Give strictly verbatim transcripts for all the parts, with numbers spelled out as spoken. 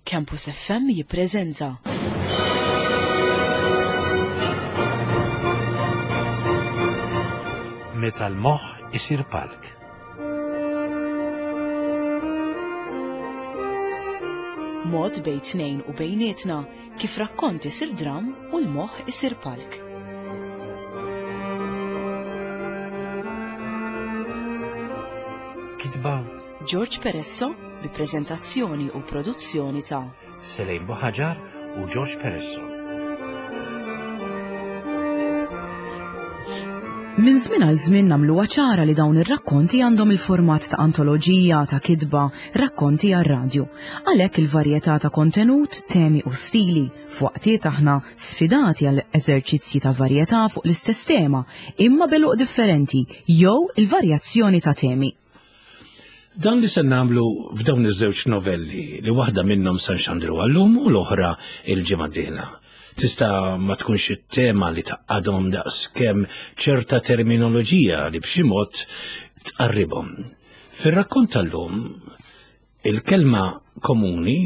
Campus F M jippreżenta Meta l-moħħ isir palk. Mod bejn tnejn u bejnietna kif rakkont isir dram u l-moħħ isir palk. Kitba George Peresso bi preżentazzjoni u produzzjoni ta' Selejn Buħaġar u George Peresso. Minn żmien għal żmien nagħmluha ċara li dawn ir-rakkonti għandhom il-format ta' antoloġija ta' kitba, rakkonti għar-radju. Għalhekk il-varjetà ta' kontenut, temi u stili, f'waqtiet aħna sfidati għal eżerċizzji ta' varjetà fuq l-istess tema, imma b'għeluq differenti jew il-varjazzjoni ta' temi. Dan li se nagħmlu f'dawn iż-żewġ novelli li waħda minnhom se nxandru għallum u l-oħra il-ġimgħa d-dieħla. Tista' ma tkunx it-tema li tgħaqqadhom daqs kemm ċerta terminoloġija li b'xi mod tqarribhom. Fir-rakkont tal-lum, il-kelma komuni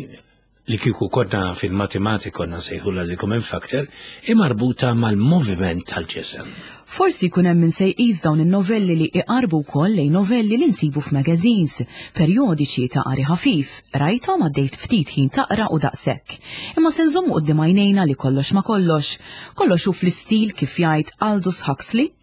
li kieku konna fil-matematika konna nsejħulha the common factor, hi marbuta mal-moviment tal-ġisem. Forsi jkun hemm min se jqis dawn in-novelli li iqarbu wkoll lejn novelli li nsibu f'magazines, perjodiċi ta' qari ħafif, rajthom, għaddejt ftit ħin taqra u daqshekk. Imma se nżommu quddiem għajnejna li kollox ma kollox, kollox hu fl-istil kif jgħid Aldous Huxley.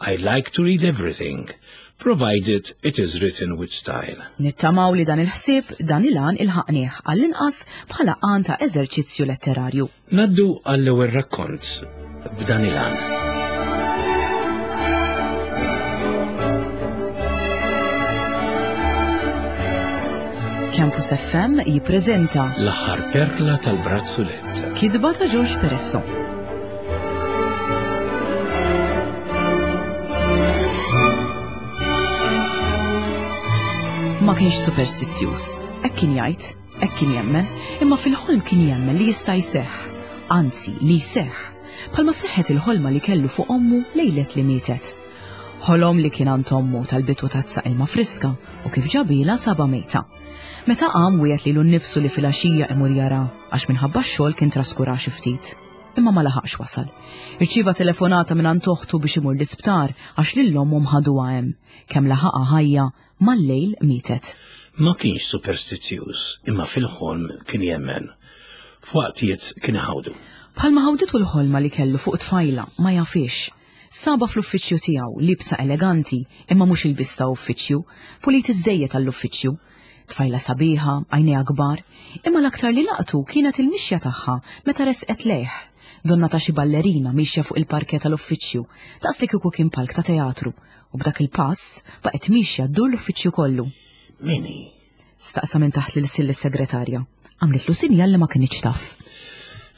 "I like to read everything, provided it is written with style." Nittamaw li dan il-ħsieb, dan il-għan ilħaqnieh għall-inqas bħala għan ta' eżerċizzju letterarju. Ngħaddu għall-ewwel rakkont b'dan il-għan. Campus F M jippreżenta L-aħħar perla tal-brazzulett. Kitba ta' George Peresso. Ma kienx superstizzjuż, hekk kien jgħid, hekk kien jemmen, imma fil-ħolm kien jemmen li jista' jseħħ, anzi li jseħħ, bħalma seħħet il-ħolma li kellu fuq ommu lejlet li mietet. Ħolom li kien għand ommu talbitu tazza ilma friska u kif ġabilha saba mejta. Meta qam wiegħed lilu nnifsu li filgħaxija imur jara għax minħabba x-xogħol kien traskura xi ftit. Imma ma laħaqx wasal. Irċieva telefonata minn għand oħtu biex imur l-isptar għax lil ommhom ħaduha hemm. Kemm laħaqha ħajja, mal-lejl mietet. Ma kienx superstizzjuż, imma fil-ħolm kien jemmen. F'waqtiet kien ħawdu. Bħalma ħawditu l-ħolma li kellu fuq tfajla, ma jafix. Saba fl-uffiċċju tiegħu, libsa eleganti, imma mhux ilbies ta' uffiċċju, pulit iżejjed għall-uffiċċju. Tfajla sabiħa, għajnejha kbar, imma l-aktar li laqtu kienet il-mixja tagħha meta resqet lejh. Donnha ta' xi ballerina mixja fuq il-parke tal-uffiċċju, daqs li kieku kien palk ta' teatru, u b'dak il-pass baqgħet mixja ddur l-uffiċċju kollu. Min hi? Staqsa minn taħt l-ilsien lis-segretarja. Għamlitlu sinjal li ma kinitx taf.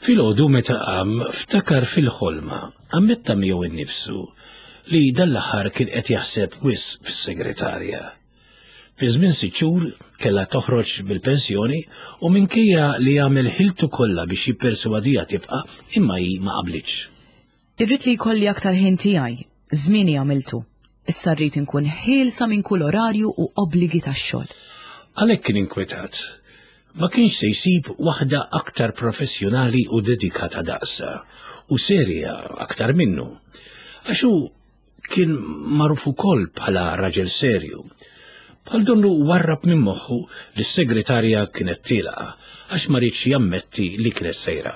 Filgħodu meta qam ftakar fil-ħolma, ammetta miegħu innifsu li dan l-aħħar kien qed jaħseb wisq fis-segretarja. Fi żmien sitt xhur kellha toħroġ bil-pensjoni u minkejja li għamel ħiltu kollha biex jipperswadiha tibqa', imma hi ma qablitx. Irrid li jkolli aktar ħin tiegħi, żmieni għamiltu. Issa rrid inkun ħielsa minn kull orarju u obbligi tax-xogħol. Għalhekk kien inkwetat. Ma kienx se jsib waħda aktar professjonali u dedikata daqsa u serja aktar minnu. Għax hu kien magħruf ukoll bħala raġel serju. Bħal donnu warrab minn moħħu li s-segretarja kienet tielqa għax ma riedx jammetti li kienet sejra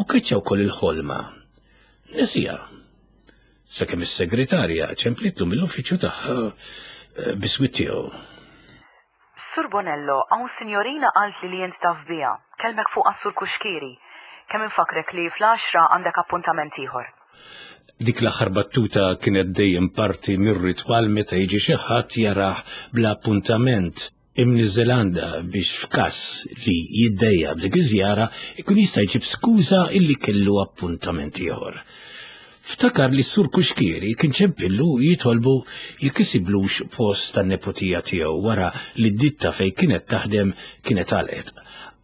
u keċċa wkoll il-ħolma. Nesieha. Sakemm is-segretarja ċemplitlu mill-uffiċċju tagħha eh, biswit tiegħu. Sur Bonello, hawn sinjorina qalt li li jent taf biha. Kellmek fuq Sur Kuxkiri. Kemm infakrek li fl-għaxra għandek appuntament ieħor. Dik l-aħħar battuta kienet dejjem parti mir-ritwal meta jiġi xi ħadd jarah bla appuntament imniżżel biex f'każ li jiddejjaq b'dik iż-żjara ikun jista' jġib skuża illi kellu appuntament ieħor. Ftakar li s-sur Kuxkieri kien ċempillu jitolbu jekk isiblux post tan-neputija tiegħu wara li d-ditta fejn kienet taħdem kienet għalqet.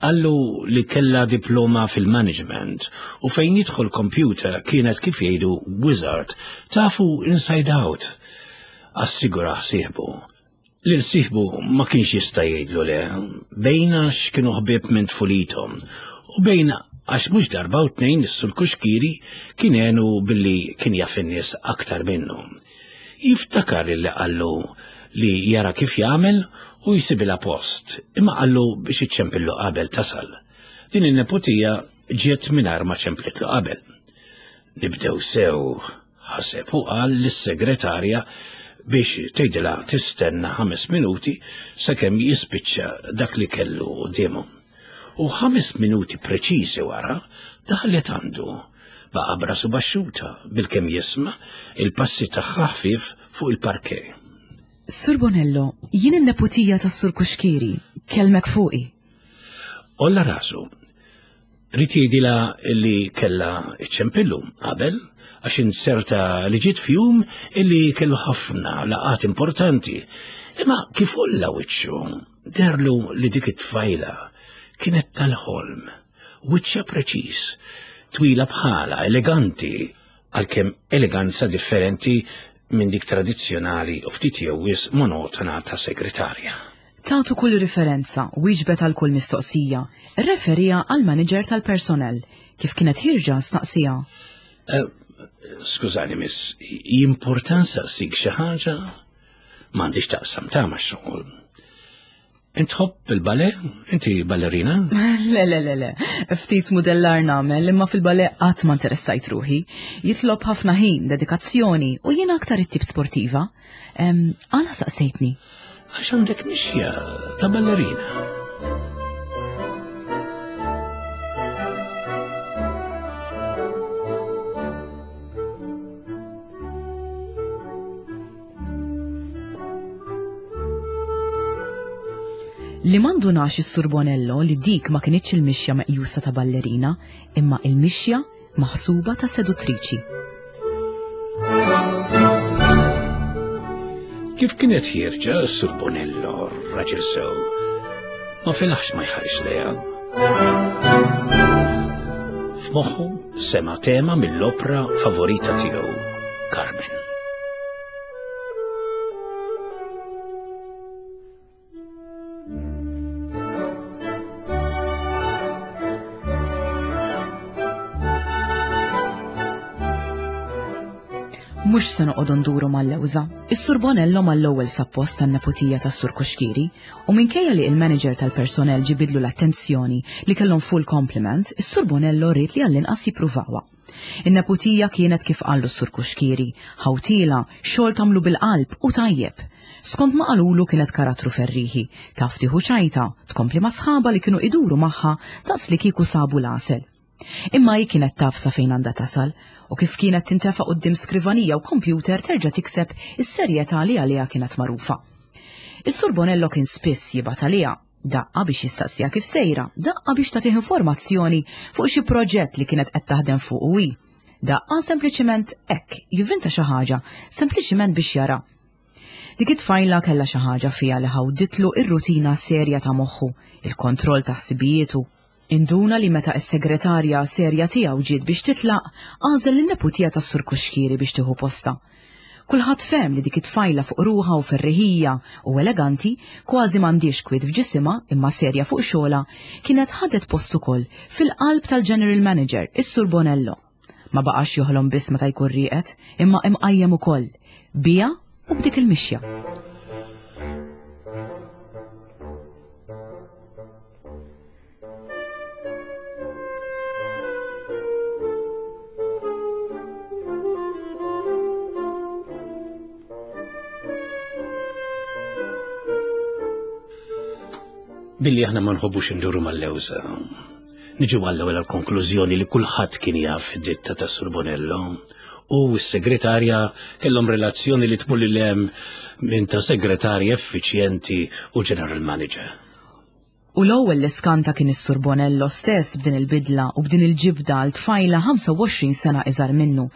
Qallu li kella diploma fil-management u fejn jidħol computer kienet, kif jgħidu, wizard, tafu inside out. Assigura sieħbu Lil sieħbu ma kienx jista' jgħidlu le, bejn għax kienu ħbieb minn tfulithom u bejn għax mhux darba u tnejn is-Sur Cuschieri kien għenu billi kien jaf in-nies aktar minnu. Jiftakar illi qallu li jara kif jagħmel u jsibilha post, imma qallu biex iċċempillu qabel tasal. Din in-neputija ġiet mingħajr ma ċemplitlu qabel. Nibdew sew, ħaseb u qal lis-segretarja biex tgħidilha tistenna ħames minuti sakemm jispiċċa dak li kellu quddiemu. U ħames minuti preċiżi wara daħlet għandu, baqa' b'rasu baxxuta bilkemm jisma' il-passi tagħha ħfief fuq il-parke. Sur Bonello, jien in-neputija tas-Sur Cuschieri, kellmek fuqi. Olla rasu. Ried jgħidilha li kellha iċċempillu qabel għax inserta li ġiet f'jum illi kellu ħafna laqgħat importanti. Imma kif olla wiċċu, deherlu li dik it-tfajla kienet tal-ħolm, wiċċa preċiż, twila bħala, eleganti, għalkemm eleganza differenti minn dik tradizzjonali u ftit jew wisq monotona ta' segretarja. Tatu kull riferenza, wieġbet għal kull mistoqsija, referija għal manager tal-personel, kif kienet ħierġa staqsija. Eh, skużani, miss, jimporta nsaqsik xi ħaġa? M'għandix taqsam ta' ma' xogħol. Int tħobb il-ballet? Inti ballerina? Le, le, le, le. Ftit modellar nagħmel, imma fil-ballet qatt ma interessajt ruħi. Jitlob ħafna ħin, dedikazzjoni u jiena aktar it-tip sportiva. Em, Għala saqsejtni? Għax għandek mixja ta' ballerina. Li m'indunax is-Sur Bonello li dik ma kinitx il-mixja meqjusa ta' ballerina, imma il-mixja maħsuba ta' seduttriċi. Kif kienet ħierġa s-Sur Bonello, raġel sew, ma felaħx ma jħares lejha. F'moħħu sema tema mill-opra favorita tiegħu, Carmen. Mhux se noqogħdu nduru mal-lewża. Is-Sur Bonello mal-ewwel sab post tan-neputija tas-Sur Cuschieri u minkejja li il-manager tal-personel ġibidlu l-attenzjoni li kellhom full complement, is-Sur Bonello ried li għall-inqas jippruvawha. In-neputija kienet kif qallu s-Sur Cuschieri, ħawtila, xogħol tagħmlu bil-qalb u tajjeb. Skont ma qalulu kienet karattru ferriħi, taf tieħu ċajta, tkompli ma' sħaba li kienu iduru magħha daqs li kieku sabu l-għasel. Imma hi kienet taf sa fejn għandha tasal u kif kienet tintefa' quddiem skrivanija u kompjuter terġa' tikseb is-serjetà li għaliha kienet magħrufa. Is-Sur Bonello kien spiss jibgħat għaliha, daqqa biex jistaqsija kif sejra, daqqa biex tagħtih informazzjoni fuq xi proġett li kienet qed taħdem fuq u hi. Daqqa sempliċiment hekk, jivvinta xi ħaġa, sempliċiment biex jara. Dik it-tfajla kellha xi ħaġa fiha li ħawditlu ir-rutina serja ta' moħħu, il-kontroll ta' ħsibijietu. Induna li meta s-segretarja serja tiegħu ġiet biex titlaq, għażel lin-neputija tas-Sur Cuschieri biex tieħu posta. Kulħadd fehem li dik it-tfajla fuq ruħha u ferriħija u eleganti, kważi m'għandix kwiet f'ġisimha imma serja fuq xogħla, kienet ħadet post ukoll fil-qalb tal-General Manager, is-Sur Bonello. Ma baqax joħlom biss meta jkun rieqed, imma imqajjem ukoll, bija u b'dik il-mixja. Billi aħna ma nħobbux induru mal-lewża. Niġu għall-ewwel għall-konklużjoni li kulħadd kien jaf id-ditta ta' Sur Bonello u s-segretarja kellhom relazzjoni li tmur lil hemm minn ta' segretarja effiċjenti u general manager. U l-ewwel li skanta kien is-Sur Bonello stess b'din il-bidla u b'din il-ġibda għal tfajla ħamsa u għoxrin sena iżgħar minnu,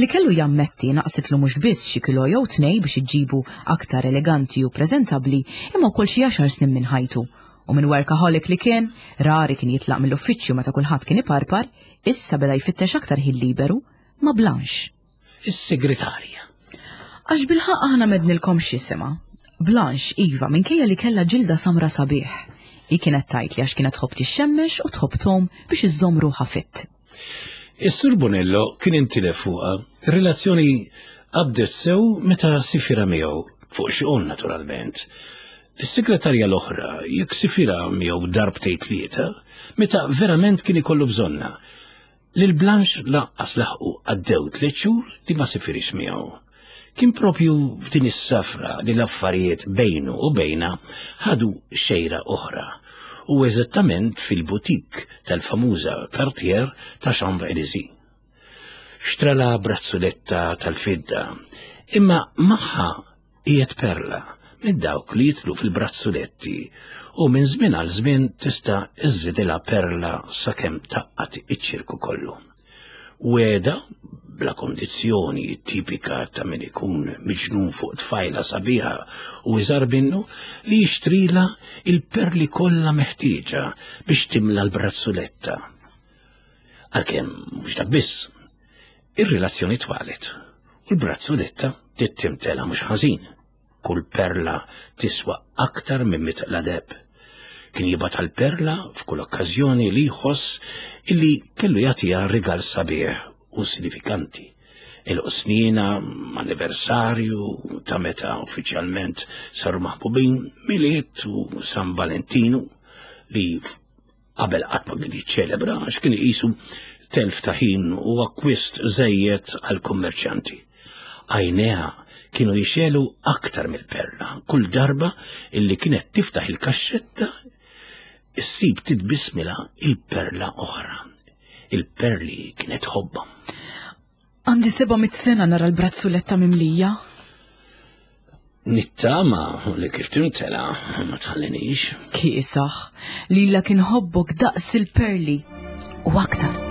li kellu jammetti naqsitlu mhux biss xi kilo jew tnej biex iġibu aktar eleganti u preżentabbli, imma wkoll xi għaxar snin minn ħajtu. U minn workaholic li kien, rari kien jitlaq mill-uffiċċju meta kulħadd kien iparpar, issa beda jfittex aktar ħin liberu ma' Blanche. Is-segretarja. Għax bilħaq aħna mednilkom x'jisimha. Blanche, iva, minkejja li kellha ġilda samra sabiħ. Hi kienet tgħid li għax kienet tħobb tixxemmex u tħobb tgħum biex iżżomm ruħha fit. Is-Sur Bonello kien intilef fuqha. Ir-relazzjoni qabdet sew meta sifira miegħu, fuq xogħol naturalment. Is-segretarja l-oħra jekk sifira miegħu darbtejn tlieta, meta verament kien ikollu bżonna. Lil Blanche lanqas laħqu għaddew tliet xhur li ma sifirix miegħu. Kien propju f'din is-safra li l-affarijiet bejnu u bejna ħadu xejra oħra, u eżattament fil-butik tal-famuża Cartier ta' Champs-Élysées. Xtrala brazzuletta tal-fidda, imma magħha qiegħed perla minn dawk li jitlu fil-brazzuletti u minn żmien għal żmien tista' iżżidilha perla sakemm taqqat iċ-ċirku kollu. Weda bla kondizzjoni tipika ta' min ikun miġnun fuq tfajla sabiħa u iżgħar minnu li jixtrila il-perli kollha meħtieġa biex timla l-brazzuletta. Għalkemm mhux dak biss, ir-relazzjoni twalet u l-brazzuletta tittimtela mhux ħażin. Kull perla tiswa aktar minn mitqla deheb. Kien jibgħat għall-perla f'kull okkażjoni li jħoss illi kellu jagħtiha rigal sabiħ u sinifikanti. Il-qsnina, anniversarju ta' meta uffiċjalment saru maħbubin, Milied u San Valentinu li qabel qatt ma kien jiċċelebra għax kien iqisu telf ta' ħin u akkwist żejjed għall-kummerċjanti. Għajnejha kienu jixelu aktar mill-perla kull darba illi kienet tiftaħ il-kaxxetta issib titbismila il-perla oħra. Il-perli kienet ħobba. Għandi seba' mitt sena nara l-brazzuletta mimlija. Nittama li kif timtela ma tħallinix. Kiesaħ, lila kien ħobbok daqs il-perli u aktar.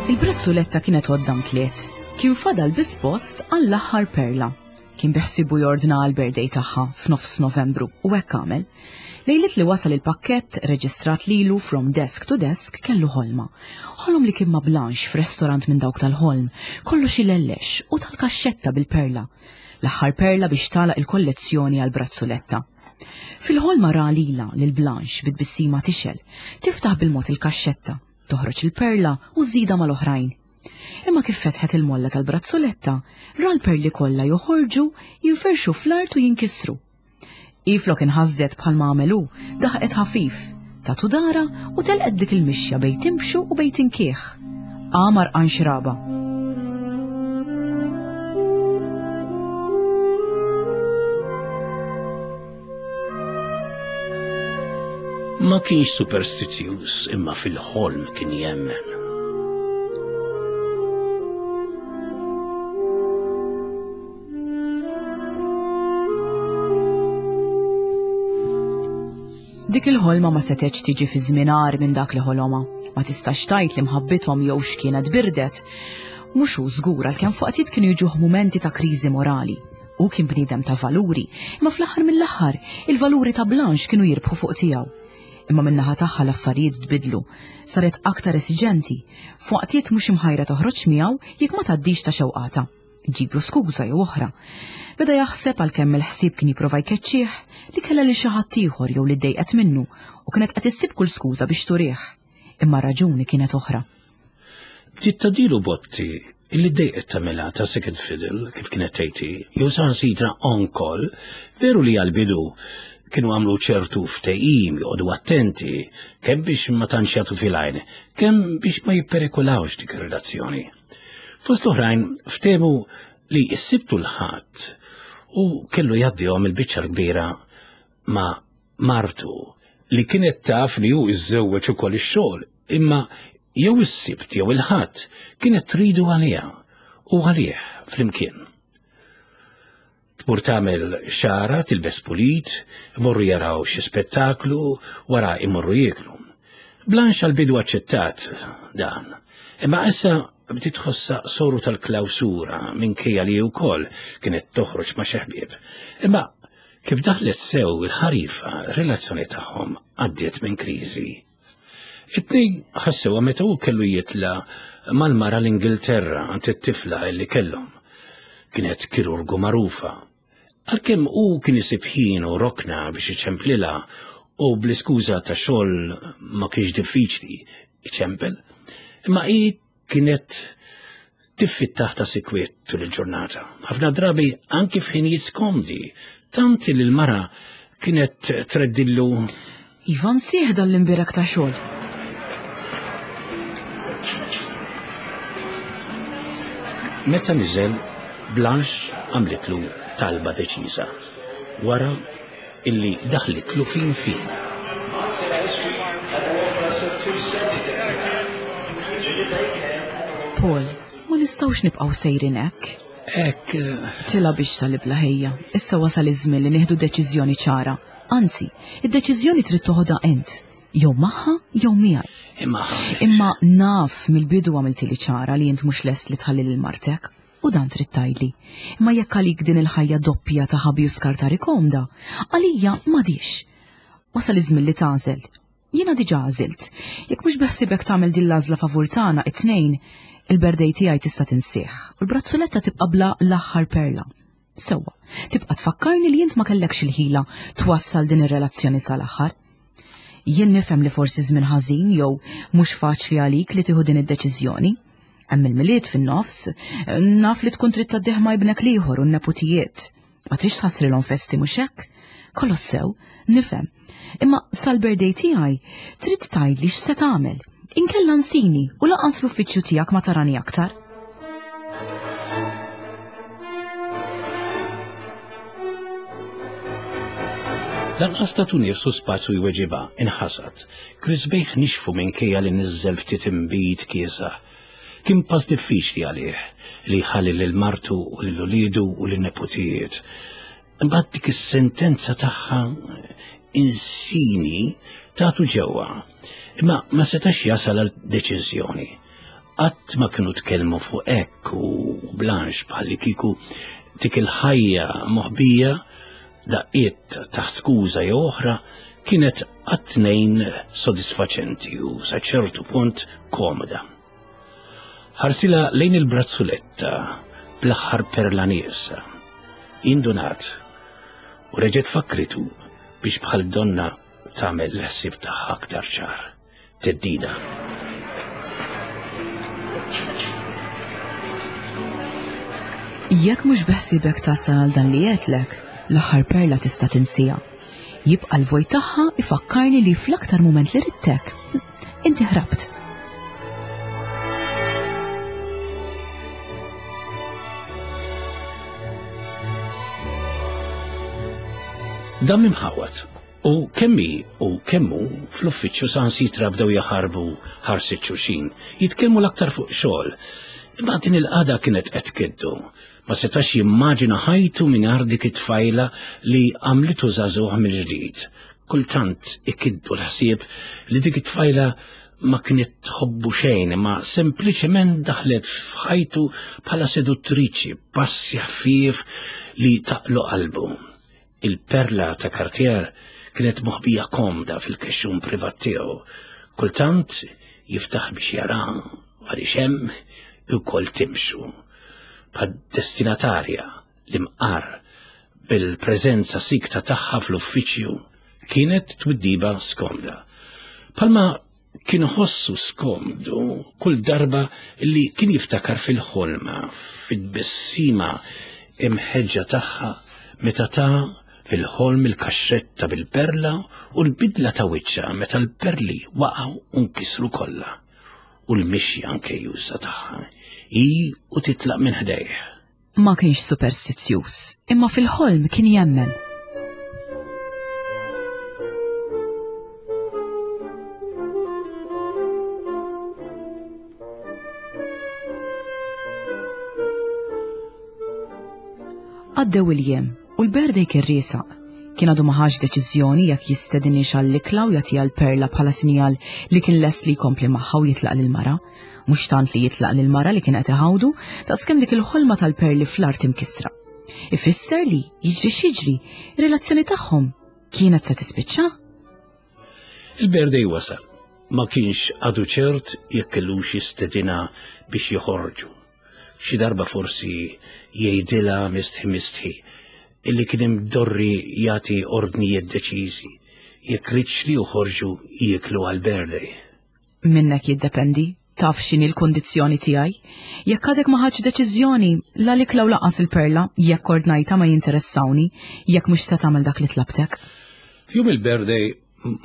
Il-brazzuletta kienet għoddam tliet. Kien fadal biss post għall-aħħar perla. Kien biħsibu jordna għal-birthday tagħha f'nofs Novembru u hekk għamel. Lejlet li wasal il-pakkett reġistrat lilu from desk to desk kellu ħolma. Ħolom li kien ma' Blanche f'restorant minn dawk tal-ħolm, kollox ilellex u tal-kaxxetta bil-perla. L-aħħar perla biex tagħlaq il-kollezzjoni għal-brazzuletta. Fil-ħolma ra lila lil Blanche bit-tbissima tixel, tiftaħ bil-mod il-kaxxetta, toħroġ il-perla u żida mal-oħrajn. Imma kif fetħet il-molla tal-brazzuletta, ra l-perli kollha joħorġu, jinferxu fl-art u jinkisru. Iflok inħażżet bħalma għamelu, daħqet ħafif, tatu dara u telqet dik il-mixja bejn timxu u bejn tinkieħ. Qamar għan xraba. Ma kienx superstizzjuż imma fil-ħolm kien jemmen. Dik il-ħolma ma setgħetx tiġi fi żmien agħar minn dak li ħoloma. Ma tistax tgħid li mħabbithom jew x'kienet birdet. Mhux hu żgur għalkemm fuqtiet kienu jiġuh mumenti ta' kriżi morali. Hu kien bniedem ta' valuri, imma fl-aħħar mill-aħħar il-valuri ta' Blanche kienu jirbħu fuq tiegħu. Imma min-naħa tagħha l-affarijiet tbidlu, saret aktar esiġenti, f'waqtiet mhux imħajra toħroġ miegħu jekk ma tgħaddix ta' xewqata. Ġiblu skuża jew oħra. Beda jaħseb għalkemm il-ħsieb kien jipprova jkeċċih li kellha lil xi ħadd ieħor jew li ddejqet minnu u kienet qed issib kull skuża biex turih. Imma raġuni kienet oħra. Bdiet tadilu botti illi ddejqet tagħmilha ta' second fiddle kif kienet tgħid, jew saħansitra on call, veru li għall-bidu kienu għamlu ċertu ftehim joqogħdu attenti kemm biex ma tantx jagħtu fil-għajn, kemm biex ma jipperikolawx dik ir-relazzjoni. Fost l-oħrajn ftehmu li s-Sibtu l-Ħadd u kellu jgħaddihom il-biċċa l-kbira ma' martu li kienet taf li hu iżżewweġ ukoll ix-xogħol, imma jew is-Sibt jew il-Ħadd kienet tridu għaliha u għalih flimkien. Tmur tagħmel xara, tilbes pulit, imorru jaraw xi spettaklu, wara imorru jieklu. Blanche għal-bidu aċċettat dan, imma issa bdiet tħossha soru tal-klawsura minkejja li wkoll kienet toħroġ ma' xi ħbieb. Imma kif daħlet sew il-ħarifa, relazzjoni tagħhom għaddiet minn kriżi. It-tnejn ħassewha meta hu kellu jitla' mal-mara l-Ingilterra għand it-tifla li kellhom. Kienet kirurgu magħrufa. Għalkemm hu kien isib ħin u rokna biex iċemplilha u bl-iskuża ta' xogħol ma kienx diffiċli iċempel, imma hi kienet tiffittah ta' sikwiet tul il-ġurnata. Ħafna drabi anki f'ħinijiet skomdi, tant li l-mara kienet treddillu Ivan sieħ dan l-imbirek ta' xogħol. Meta niżel, Blanche għamlitlu talba deċiża. Wara illi daħlitlu fin fin. Paul, ma nistgħux nibqgħu sejrin hekk. Hekk eh, Tila biex tal-ibla ħejja, issa wasal iż-żmien li nieħdu deċiżjoni ċara. Anzi, id-deċiżjoni trid toħodha int, jew magħha jew miegħi. imma Imma naf mill-bidu għamiltili ċara li int mhux lest li tħalli lil martek. U dan trid tgħidli. Imma jekk għalik din il-ħajja doppja ta' ħabi u skartari komda, għalija m'għadix. Wasal iż-żmien li tagħżel. Jiena diġà għażilt. Jekk mhux beħsibek tagħmel din l-għażla favur tagħna it-tnejn, il-berdej tiegħi tista' tinsieħ u l-brazzoletta tibqa' bla l-aħħar perla. Sewwa, tibqa' tfakkarni li int ma kellekx il-ħila twassal din ir-relazzjoni sal-aħħar. Jien nifhem li forsi żmien ħażin jew mhux faċli għalik li tieħu din id-deċiżjoni. Hemm il-milied fin-nofs, naf li tkun trid tgħaddih ma' ibnek l-ieħor u n-neputijiet. Ma trix tħassrilhom festi mhux hekk? Kollox sew, nifhem. Imma sal-birthday tiegħi trid tgħidli x'se tagħmel. Inkella nsini u lanqas l-uffiċċju tiegħek ma tarani aktar. Lanqas tatu nifsu spazju jweġibha, inħasad. Krisbejh nixfu minkejja li niżżel ftit imbid kiesaħ. Kien pass diffiċli għalih li jħalli lil martu u lil uliedu u lin neputijiet. Imbagħad dik is-sentenza tagħha insini tagħtu ġewwa. Imma ma setax jasal għal deċiżjoni. Qatt ma kienu tkellmu fuq hekk u Blanche bħalli kieku dik il-ħajja moħbija daqqiet taħt skuża jew oħra kienet għat-tnejn sodisfaċenti u sa ċertu punt komoda. Ħarsila lejn il-brazzuletta bl-aħħar perla nieqsa. Indunat u reġgħet fakritu biex bħal donna tagħmel l-ħsieb tagħha aktar ċar. Teddida. Jekk mhux beħsibek tasal għal dan li għedtlek, l-aħħar perla tista' tinsija. Jibqa' l-vojt tagħha ifakkarni li fl-aktar mument li ridtek, inti ħrabt. Dam imħawat u kemmi u kemmu fl-uffiċċju sansitra bdew jaħarbu ħarsit xulxin, jitkellmu l-aktar fuq xogħol. Imma din il-qagħda kienet qed tkiddu. Ma setax jimmaġina ħajtu mingħajr dik it-tfajla li għamlitu żagħżugħ mill-ġdid. Kultant ikiddu l-ħsieb li dik it-tfajla ma kienet tħobbu xejn, imma sempliċement daħlet f'ħajtu bħala seduttriċi, passi ħfief li taqlu qalbu. Il-perla ta' Cartier kienet moħbija komda fil-kexxun privat tiegħu. Kultant jiftaħ biex jara għaliex hemm ukoll timxu. Bħad destinatarja li mqar bil-preżenza sikta tagħha fl-uffiċċju kienet twiddiba skomda. Palma kien ħossu skomdu kull darba li kien jiftakar fil-ħolma, fid-bissima imħeġġa tagħha meta ta' fil-ħolm il-kaxxetta bil-perla u l-bidla ta' wiċċha meta l-perli waqgħu u nkisru kollha. U l-mixja anke juża tagħha, hi u titlaq minn ħdejh. Ma kienx superstizzjuż, imma fil-ħolm kien jemmen. Għaddew il-jiem u l-birthday kien riesaq. Kien għadu ma ħax deċiżjoni jekk jistedinhiex għall-ikla u jagħtiha l-perla bħala sinjal li kien lest li jkompli magħha u jitlaq lill-mara. Mhux tant li jitlaq lill-mara li kien qed iħawdu, daqskemm dik il-ħolma tal-perli fl-art imkissra. Ifisser li jiġri x'jiġri, ir-relazzjoni tagħhom kienet se tispiċċa? Il-birthday wasal. Ma kienx għadu ċert jekk kellux jistedinha biex joħorġu. Xi darba forsi jgħidilha mistħi mistħi illi kien imdorri jagħti ordnijiet deċiżi jekk riedx li joħorġu jieklu għal-birthday. Minnek jiddependi, taf x'inhi l-kondizzjoni tiegħi. Jekk għadek ma ħadx deċiżjoni, la l-ikla u lanqas il-perla, jekk ordnajta ma jinteressawni, jekk mhux se tagħmel dak li tlabtek. F'jum il-birthday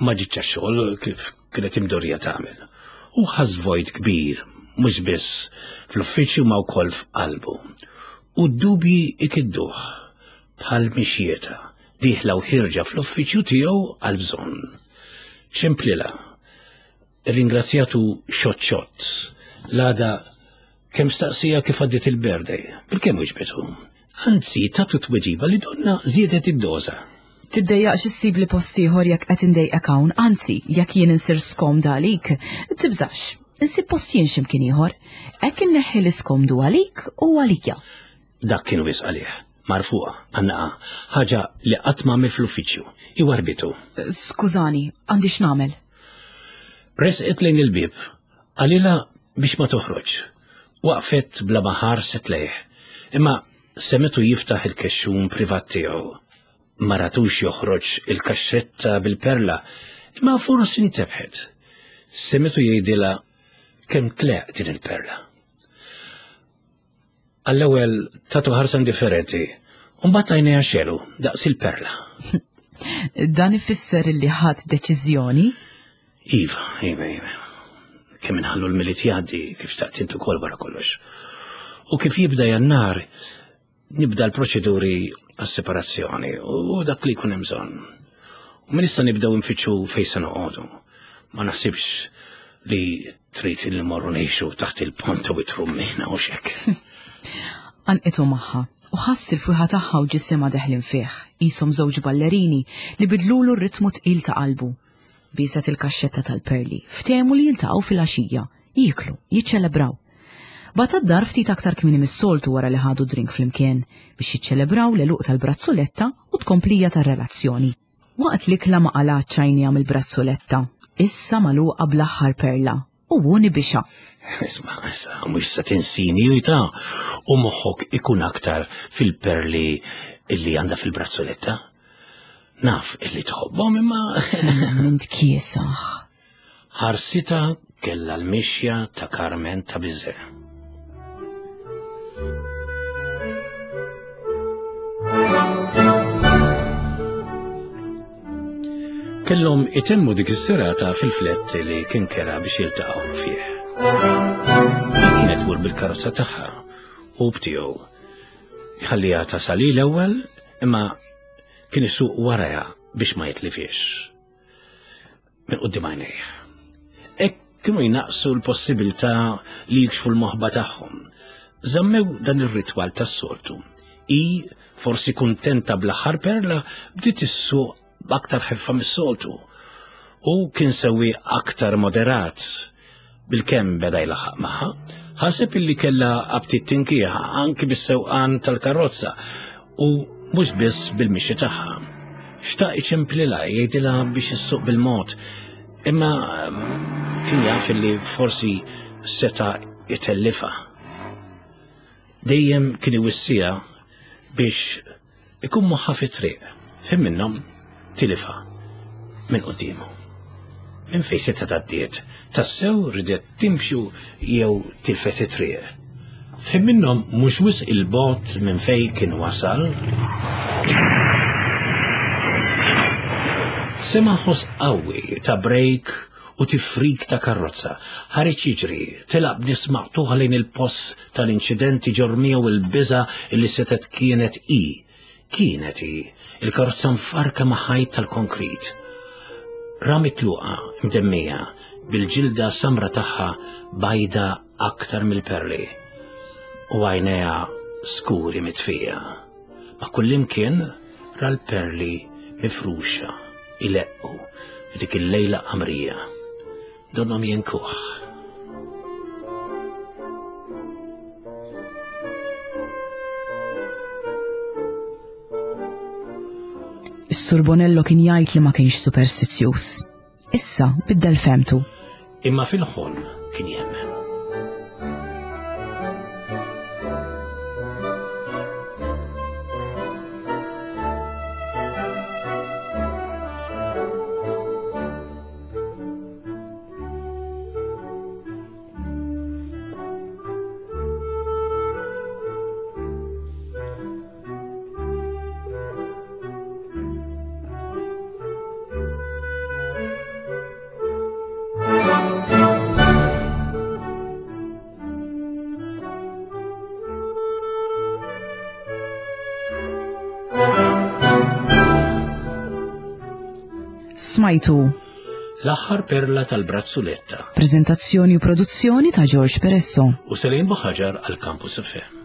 ma ġietx għax-xogħol kif kienet imdorrija tagħmel. U ħass vojt kbir, mhux biss fl-uffiċċju ma wkoll f'qalbu. U d-dubji ikidduh bħal mixjietha, dieħla u ħierġa fl-uffiċċju tiegħu għal bżonn. Ċemplilha, ringrazzjatu xott xott, l-għada kemm staqsieha kif għaddiet il-birthday, bil-kemm weġbitu. Anzi, tatu tweġiba li donnha żiedet id-doża. Tiddejjaqx issibli post ieħor jekk qed indejqek hawn, anzi, jekk jien insir skomda għalik, tibżax, insib post jien x'imkien ieħor. Hekk inneħħi l-iskomdu għalik u għalija. Dak kien wisq għalih, marfuqa, għannaqa, ħaġa li qatt ma għamel fl-uffiċċju, iwarbitu. Skużani, għandi x'nagħmel. Resqet lejn il-bib, qalilha biex ma toħroġ. Waqfet bla ma ħarset lejh, imma semgħetu jiftaħ il-kexxun privat tiegħu. Ma ratux joħroġ il-kaxxetta bil-perla, imma forsi intebħet. Semgħetu jgħidilha kemm tleqq din il-perla. Għall-ewwel tatu ħarsa indifferenti, u mbagħad għajnejha xegħlu daqs il-perla. Dan ifisser li ħadt deċiżjoni? Iva, iva, iva. Kemm inħallu l-Milied jgħaddi kif xtaqt int ukoll wara kollox. U kif jibda Jannar, nibda l-proċeduri għas-separazzjoni u dak li jkun hemm bżonn. U minn issa nibdew nfittxu fejn se noqogħdu. Ma naħsibx li trid li morru ngħixu taħt il-pont u it-rummina u xek. Għannqitu magħha u ħass il-fwieħa tagħha u ġisimha deħlin fih, qishom żewġ ballerini li bidlulu r-ritmu tqil ta' qalbu. Bieset il-kaxxetta tal-perli, ftehmu li jiltaqgħu fil-għaxija, jieklu, jiċċelebraw. Bagħatha d-dar ftit aktar kmieni mis-soltu wara li ħadu drink flimkien biex jiċċelebraw l-għeluq tal-brazzoletta u tkomplija tar-relazzjoni. Waqt l-ikla ma qalgħetx għajnejha mill-brazzoletta, issa magħluqa bl-aħħar perla u hu nibixha. Isma', issa, mhux se tinsini u jta' u moħħok ikun aktar fil-perli illi għandha fil-brazzoletta. Naf illi tħobbhom imma Mint kiesaħ. Ħarsitha kella l-mixja ta' Carmen ta' Bizet. Kellhom itemmu dik is-serata fil-flett li kien kera biex jiltaqgħu fih. Kienet tmur bil-karozza tagħha u btiegħu. Ħalliha tasal hi l-ewwel imma kien isuq warajha biex ma jitlifiex. Minn quddiem għajnejh. Hekk kienu jnaqsu l-possibilità li jikxfu l-moħba tagħhom. Żammew dan ir-ritwal tas-soltu. I forsi kuntenta bl-aħħar perla bdiet issuq b'aktar ħeffa mis-soltu. U kien sewi aktar moderat. Bil-kemm beda jlaħħaq magħha, ħaseb illi kellha aptit tinkieħa anki bis-sewqan tal-karozza u mhux biss bil-mixi tagħha. Xtaq iċemplilha jgħidilha biex issuq bil-mod, imma kien jaf illi forsi seta' itellifha. Dejjem kien iwissiha biex ikun moħħa fit-triq, fim minnhom tilifha minn quddiemu. Minn fejn seta' tgħaddiet, tassew ridet timxu jew tilfet it-triq. Fim minnhom mhux wisq il-bogħod minn fejn kien wasal. Sema' ħoss qawwi ta' brejk u tifrik ta' karozza. Ħareġ jiġri, telaq b'nifs maqtugħ lejn il-post tal-inċidenti ġorr miegħu il-biża' illi setgħet kienet hi. Kienet hi, il-karozza mfarka ma' ħajt tal-konkrit. Ra mitluqa mdemmija bil-ġilda samra tagħha bajda aktar mill-perli u għajnejha skuri mitfija. Ma' kullimkien ra l-perli mifruxa, ileqqu f'dik il-lejla qamrija. Donnhom jenkuh. Is-Sur Bonello kien jgħid li ma kienx superstizzjuż. Issa biddel femtu. Imma fil-ħolm kien jemmen. Smajtu L-aħħar perla tal-brazzuletta Prezentazzjoni u produzzjoni ta' George Peresso. U Selin Buħaġar għal Campus F M.